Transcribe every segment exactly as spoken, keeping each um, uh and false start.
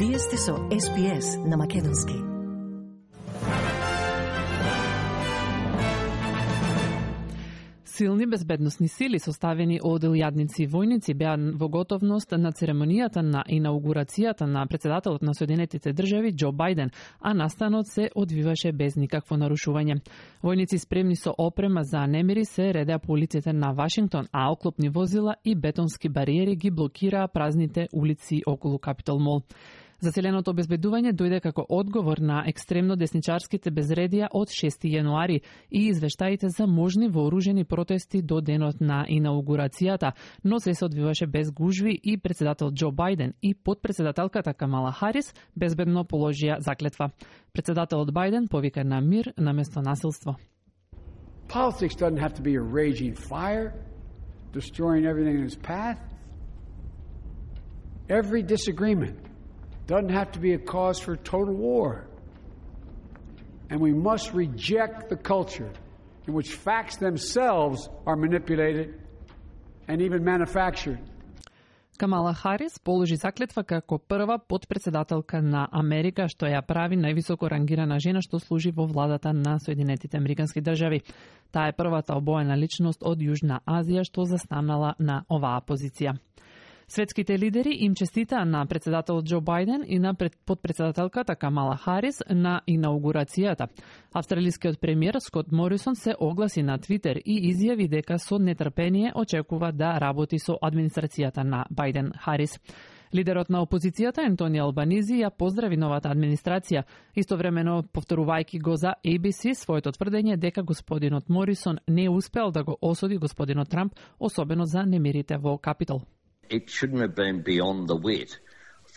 Вие сте со Ес Би Ес на македонски. Силни безбедносни сили составени од илјадници војници беа во готовност на церемонијата на инаугурацијата на председателот на Соединетите држави Џо Бајден, а настанот се одвиваше без никакво нарушување. Војници спремни со опрема за немири се редеа по улиците на Вашингтон, а оклопни возила и бетонски бариери ги блокираа празните улици околу Капитол Мол. Заселеното обезбедување дојде како одговор на екстремно десничарските безредија од шести јануари и извештаите за можни вооружени протести до денот на инаугурацијата, но се се одвиваше без гужви и председател Џо Бајден и подпредседателката Камала Харис безбедно положија заклетва. Председателот Бајден повика на мир наместо насилство. Politics doesn't have to be a raging fire, destroying everything in its path. Every disagreement doesn't have to be a cause for total war. And we must reject the culture in which facts themselves are manipulated and even manufactured. Камала Харис положи заклетва како прва подпредседателка на Америка, што ја прави највисоко рангирана жена што служи во владата на Соединетите Американски држави. Таа е првата обоена личност од Јужна Азија што застанала на оваа позиција. Светските лидери им честитаа на председателот Џо Бајден и на подпредседателката Камала Харис на инаугурацијата. Австралискиот премиер Скот Морисон се огласи на Твитер и изјави дека со нетрпение очекува да работи со администрацијата на Бајден Харис. Лидерот на опозицијата Ентони Албанизи ја поздрави новата администрација, истовремено повторувајќи го за Ей Би Си своето тврдење дека господинот Морисон не успеал да го осуди господинот Трамп, особено за немирите во Капитол. It shouldn't have been beyond the wit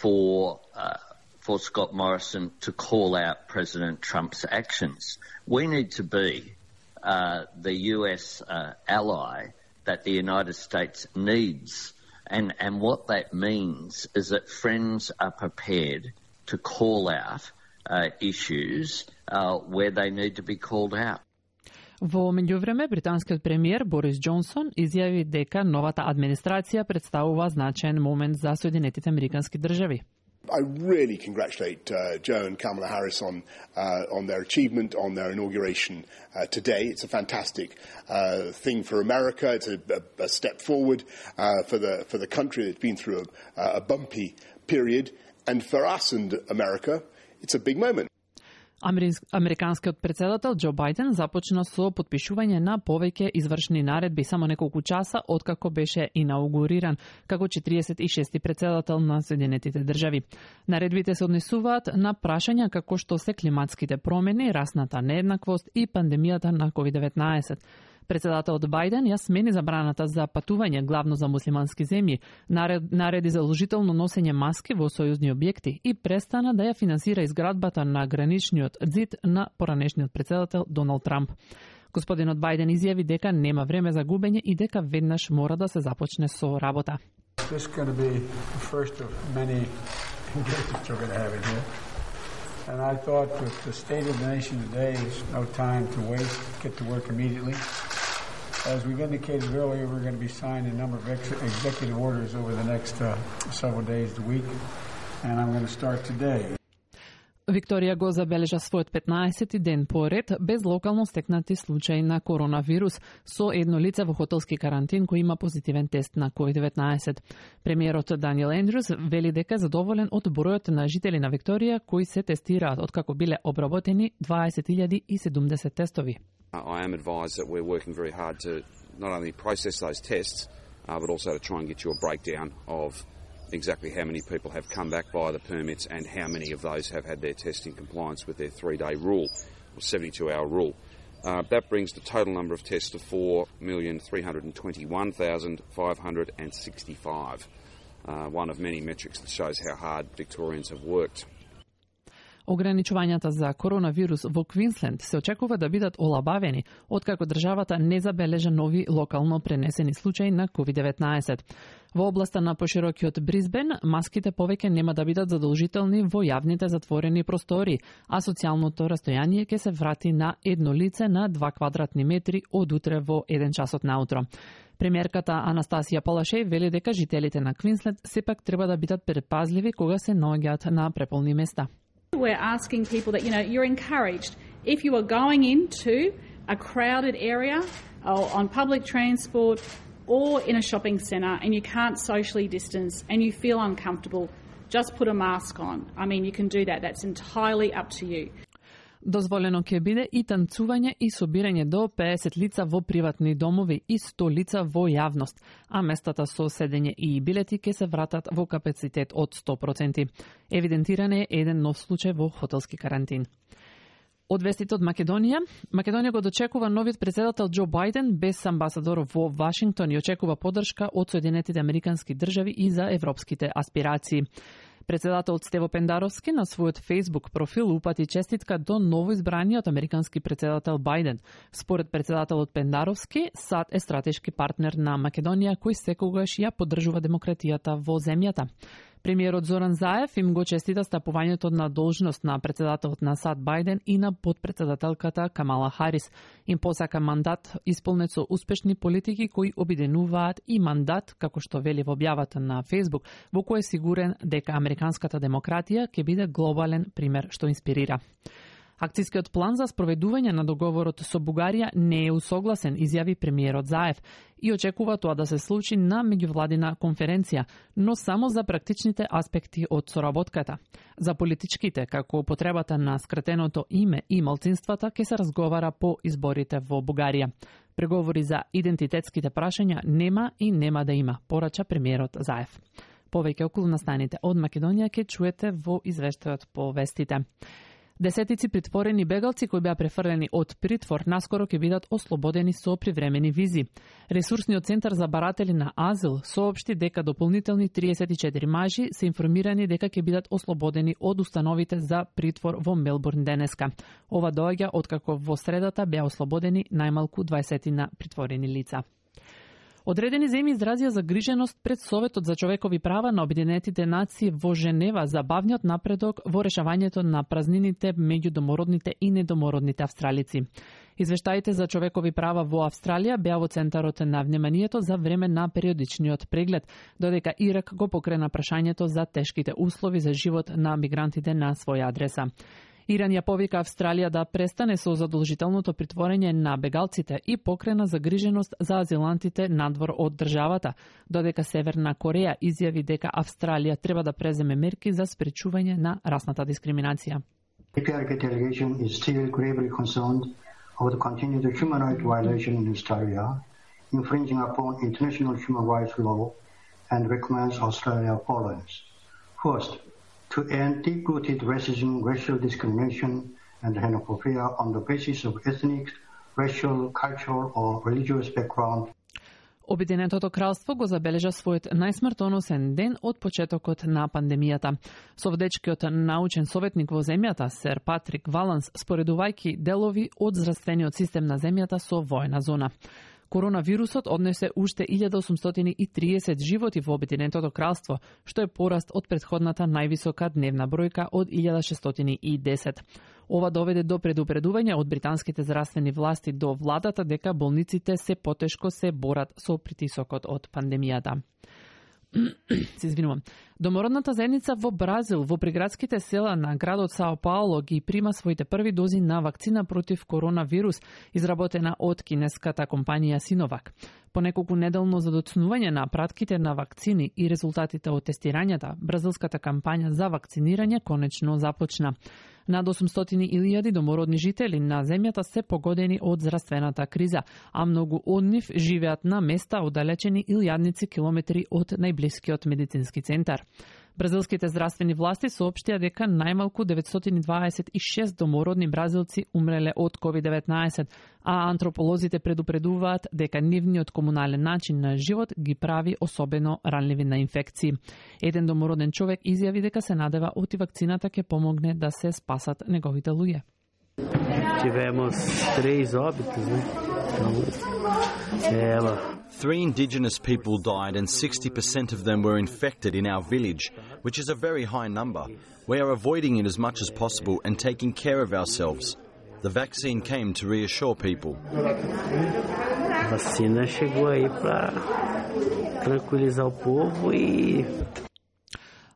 for uh, for Scott Morrison to call out President Trump's actions. We need to be uh, the U S uh, ally that the United States needs, and and what that means is that friends are prepared to call out uh, issues uh, where they need to be called out. Во меѓувреме, британскиот премиер Борис Џонсон изјави дека новата администрација представува значаен момент за Соединетите Американски држави. I really congratulate uh, Joe and Kamala Harris on uh, on their achievement, on their inauguration uh, today. It's a fantastic uh, thing for America. It's a, a, a step forward uh, for the for the country that's been through a, a bumpy period, and for us and America, it's a big moment. Американскиот председател Џо Бајден започна со потпишување на повеќе извршни наредби само неколку часа откако беше инаугуриран како четириесет и шести председател на Соединетите држави. Наредбите се однесуваат на прашања како што се климатските промени, расната нееднаквост и пандемијата на ковид деветнаесет. Председателот Бајден ја смени забраната за патување главно за муслимански земји, нареди задолжително носење маски во сојузни објекти и престана да ја финансира изградбата на граничниот ѕид на поранешниот председател Доналд Трамп. Господинот Бајден изјави дека нема време за губење и дека веднаш мора да се започне со работа. And I thought with the state of the nation today, is no time to waste, get to work immediately. As we've indicated earlier, we're going to be signing a number of ex- executive orders over the next uh, several days to week, and I'm going to start today. Викторија го забележа својот петнаесети ден поред без локално стекнати случаи на коронавирус со едно лице во хотелски карантин кој има позитивен тест на ковид деветнаесет. Премиерот Даниел Ендрюс вели дека е задоволен од бројот на жители на Викторија кои се тестираат откако биле обработени дваесет илјади и седумдесет тестови. I am advised that we're working very hard to not only process those tests uh, but also to try and get you a breakdown of exactly how many people have come back via the permits and how many of those have had their test in compliance with their three-day rule, or seventy-two hour rule. Uh, that brings the total number of tests to four million three hundred twenty-one thousand five hundred sixty-five, uh, one of many metrics that shows how hard Victorians have worked. Ограничувањата за коронавирус во Квинсленд се очекува да бидат олабавени, откако државата не забележа нови локално пренесени случаи на ковид деветнаесет. Во областа на поширокиот Брисбен, маските повеќе нема да бидат задолжителни во јавните затворени простори, а социјалното растојание ќе се врати на едно лице на два квадратни метри од утре во еден часот наутро. Премиерката Анастасија Палашеј вели дека жителите на Квинсленд сепак треба да бидат предпазливи кога се наоѓаат на преполни места. We're asking people that, you know, you're encouraged if you are going into a crowded area or on public transport or in a shopping centre and you can't socially distance and you feel uncomfortable, just put a mask on. I mean, you can do that. That's entirely up to you. Дозволено ќе биде и танцување и собирање до пеесет лица во приватни домови и сто лица во јавност, а местата со седење и билети ќе се вратат во капацитет од сто проценти. Евидентиран е еден нов случај во хотелски карантин. Од вестите од Македонија, Македонија го дочекува новиот председател Џо Бајден без амбасадор во Вашингтон и очекува поддршка од Соединетите Американски држави и за европските аспирации. Председателот Стево Пендаровски на својот Facebook профил упати честитка до новоизбраниот американски председател Бајден. Според председателот Пендаровски, САД е стратешки партнер на Македонија кој секогаш ја поддржува демократијата во земјата. Премиерот Зоран Заев им го честита стапувањето на должност на председателот на САД Бајден и на подпредседателката Камала Харис. Им посака мандат исполнет со успешни политики кои обединуваат и мандат, како што вели во објавата на Facebook, во кој е сигурен дека американската демократија ќе биде глобален пример што инспирира. Акцијскиот план за спроведување на договорот со Бугарија не е усогласен, изјави премиерот Заев, и очекува тоа да се случи на меѓувладина конференција, но само за практичните аспекти од соработката. За политичките, како употребата на скратеното име и малцинствата, ќе се разговара по изборите во Бугарија. Преговори за идентитетските прашања нема и нема да има, порача премиерот Заев. Повеќе околу настаните од Македонија ќе чуете во извештајот по вестите. Десетици притворени бегалци кои беа префрлени од притвор наскоро ќе бидат ослободени со привремени визи. Ресурсниот центар за баратели на азил соопшти дека дополнителни триесет и четири мажи се информирани дека ќе бидат ослободени од установите за притвор во Мелбурн денеска. Ова доаѓа откако во средата беа ослободени најмалку дваесет на притворени лица. Одредени земји изразија загриженост пред Советот за човекови права на Обединетите нации во Женева за бавниот напредок во решавањето на празнините меѓу домородните и недомородните австралици. Извештаите за човекови права во Австралија беа во центарот на вниманието за време на периодичниот преглед, додека Ирак го покрена прашањето за тешките услови за живот на мигрантите на своја адреса. Иран ја повика Австралија да престане со задолжителното притворење на бегалците и покрена загриженост за азилантите надвор од државата, додека Северна Кореја изјави дека Австралија треба да преземе мерки за спречување на расната дискриминација. A P R K delegation is still gravely concerned over the continued human rights violation in Australia, infringing upon international human rights law, and recommends Australia follows. First, to end deep-rooted racism, racial discrimination, and xenophobia on the basis of ethnic, racial, cultural, or religious background. Обединетото кралство го забележа својот најсмртоносен ден од почетокот на пандемијата. Совдечкиот научен советник во земјата, сер Патрик Валанс, споредувајќи делови од здравствениот систем на земјата со воена зона. Коронавирусот однесе уште илјада осумстотини и триесет животи во Обединетото кралство, што е пораст од претходната највисока дневна бројка од илјада шестстотини и десет. Ова доведе до предупредување од британските здравствени власти до владата дека болниците се потешко се борат со притисокот од пандемијата. Се извинувам. Домородната заедница во Бразил, во приградските села на градот Сао Пауло ги прима своите први дози на вакцина против коронавирус, изработена од кинеската компанија Синовак. По неколку неделно задоцнување на пратките на вакцини и резултатите од тестирањата, бразилската кампања за вакцинирање конечно започна. Над осумстотини илјади домородни жители на земјата се погодени од здравствената криза, а многу од нив живеат на места оддалечени илјадници километри од најблискиот медицински центар. Бразилските здравствени власти соопштија дека најмалку деветстотини дваесет и шест домородни бразилци умреле од ковид деветнаесет, а антрополозите предупредуваат дека нивниот комунален начин на живот ги прави особено ранливи на инфекции. Еден домороден човек изјави дека се надева оти вакцината ќе помогне да се спасат неговите луѓе. Tivemos três óbitos, né? Então, ela. Three Indigenous people died and sixty percent of them were infected in our village, which is a very high number. We are avoiding it as much as possible and taking care of ourselves. The vaccine came to reassure people. A vacina chegou aí para tranquilizar o povo e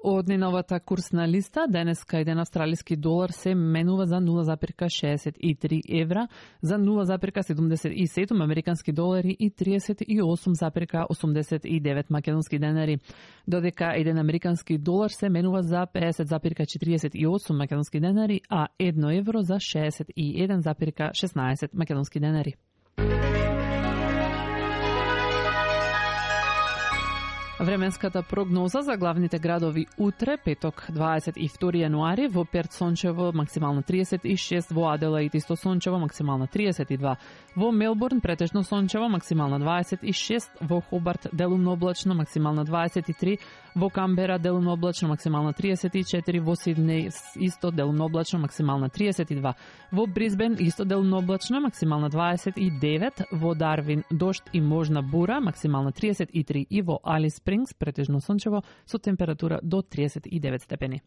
Од неновата курсна листа, денеска еден австралиски долар се менува за нула зарез шеесет и три евра, за нула зарез седумдесет и седум американски долари и триесет и осум зарез осумдесет и девет македонски денари, додека еден американски долар се менува за педесет зарез четириесет и осум македонски денари, а едно евро за шеесет и еден зарез шеснаесет македонски денари. Временската прогноза за главните градови утре, петок, дваесет и втори јануари, во Перт сончево, максимално триесет и шест, во Аделаид исто сончево, максимално триесет и два, во Мелбурн претежно сончево, максимално дваесет и шест, во Хобарт делумно облачно, максимално дваесет и три, во Камбера делумно облачно, максимално триесет и четири, во Сиднеј исто делумно облачно, максимално триесет и два, во Брисбен исто делумно облачно, максимално дваесет и девет, во Дарвин дожд и можна бура, максимално триесет и три и во Алис Спрингс претежно сончево со температура до триесет и девет степени.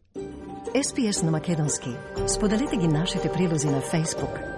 Ес Би Ес на македонски. Споделете ги нашите прилози на Facebook.